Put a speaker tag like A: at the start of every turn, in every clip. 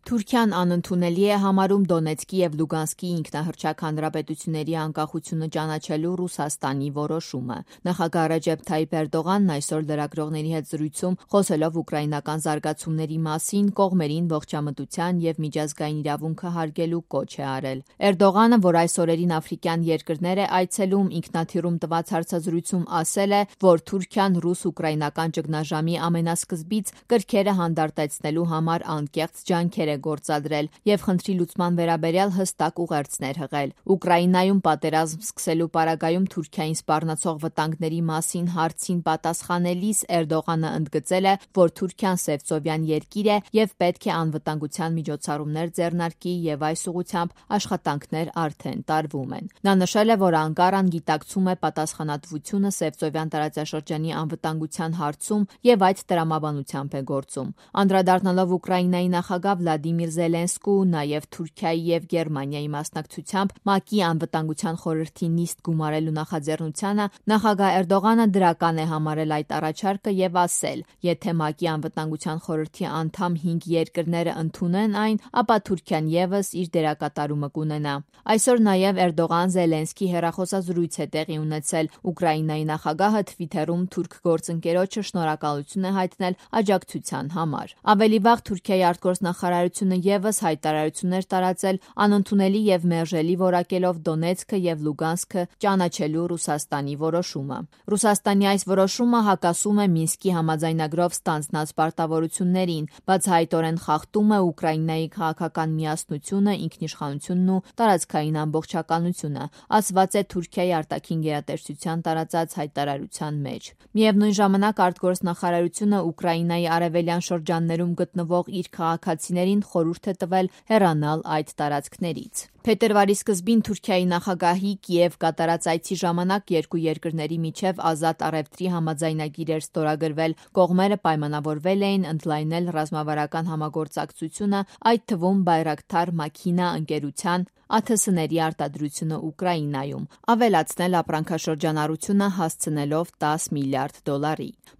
A: Թուրքիան անընդունելի է համարում Դոնեցկի և Լուգանսկի ինքնահռչակ հանրապետությունների անկախությունը ճանաչելու Ռուսաստանի որոշումը։ Նախագահ Ռեջեփ Թայիփ Էրդողանն այսօր լրագրողների հետ զրույցում, խոսելով ուկրաինական զարգացումների մասին, կողմերին ողջամտության և միջազգային իրավունքը հարգելու կոչ է արել։ Էրդողանը, որ այս օրերին աֆրիկյան երկրներ է այցելում, ինքնաթիռում տված հարցազրույցում ասել է, որ Թուրքիան ռուս-ուկրաինական ճգնաժամի ամենասկզբից կրքերը հանդարտեցնելու համար անկեղծ ջանքեր է գործադրել և խնդրի լուծման վերաբերյալ հստակ ուղերձներ հղել։ Ուկրաինայում պատերազմ սկսելու պարագայում Թուրքիային սպառնացող վտանգների մասին հարցին պատասխանելիս Էրդողանը ընդգծել է, որ Թուրքիան սևծովյան երկիր է և պետք է անվտանգության միջոցառումներ ձեռնարկի և այս ուղղությամբ աշխատանքներ արդեն տարվում են։ Նա նշել է, որ Անկարան գիտակցում է պատասխանատվությունը Սևծովյան տարածաշրջանի անվտանգության հարցում և այդ տրամաբանությամբ է գործում։ Անդրադառնալով Ուկրաինայի նախագահ Վլադիմիր Զելենսկու, նաև Թուրքիայի և Գերմանիայի մասնակցությամբ ՄԱԿ-ի անվտանգության խորհրդի նիստ գումարելու նախաձեռնությանը, նախագահ Էրդողանը դրական է համարել այդ առաջարկը և ասել, եթե ՄԱԿ-ի անվտանգության խորհրդի անդամ 5 երկրները ընդունեն այն, ապա Թուրքիան ևս իր դերակատարումը կունենա։ Այսօր նաև Էրդողան-Զելենսկի հեռախոսազրույց է տեղի ունեցել։ Ուկրաինայի նախագահը Թվիթերում թուրք գործընկերոջը շնորհակալություն է հայտնել աջակցության համար։ Ավելի վաղ Թուրքիայի արտգործնախարարությունը ևս հայտարարություն էր տարածել անընդունելի և մերժելի որակելով Դոնեցկը և Լուգանսկը ճանաչելու Ռուսաստանի որոշումը։ Ռուսաստանի այս որոշումը հակասում է Մինսկի համաձայնագրով ստանձնած պարտավորություններին, բացահայտորեն խախտում է Ուկրաինայի քաղաքական միասնությունը, ինքնիշխանությունն ու տարածքային ամբողջականությունը, ասված է Թուրքիայի արտաքին գերատեսչության տարածած հայտարարության մեջ։ Միևնույն ժամանակ արտգործնախարարությունը Ուկրաինայի արևելյան շրջաններում գտնվող իր քաղաքացիներին խորհուրդ է տվել հեռանալ այդ տարածքներից։ Փետրվարի սկզբին Թուրքիայի նախագահի Կիև կատարած այցի ժամանակ երկու երկրների միջև ազատ առևտրի համաձայնագիր էր ստորագրվել։ Կողմերը պայմանավորվել էին ընդլայնել ռազմավարական համագործակցությունը, այդ թվում Բայրակթար Մաքինա ընկերության ԱԹՍ-ների արտադրությունը Ուկրաինայում, ավելացնել ապրանքաշրջանառությունը հասցնելով $10 միլիարդ։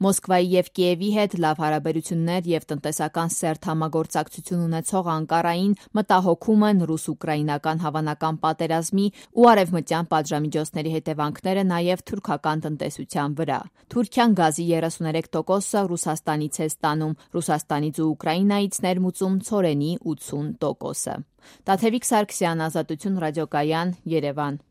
A: Մոսկվայի և Կիևի հետ լավ հարաբերություններ և տնտեսական սերտ համագործակցություն ունեցող Անկարային մտահոգում են ռուս-ուկրաինական հավանական պատերազմի ու արևմտյան պատժամիջոցների հետևանքները նաև թուրքական տնտեսության վրա։ Թուրքիան գազի 33%-ը Ռուսաստանից է ստանում, Ռուսաստանից ու Ուկրաինայից ներմուծում ցորենի 80%-ը։ Տաթևիկ Սարգսյան, Ազատություն ռադիոկայան, Երևան։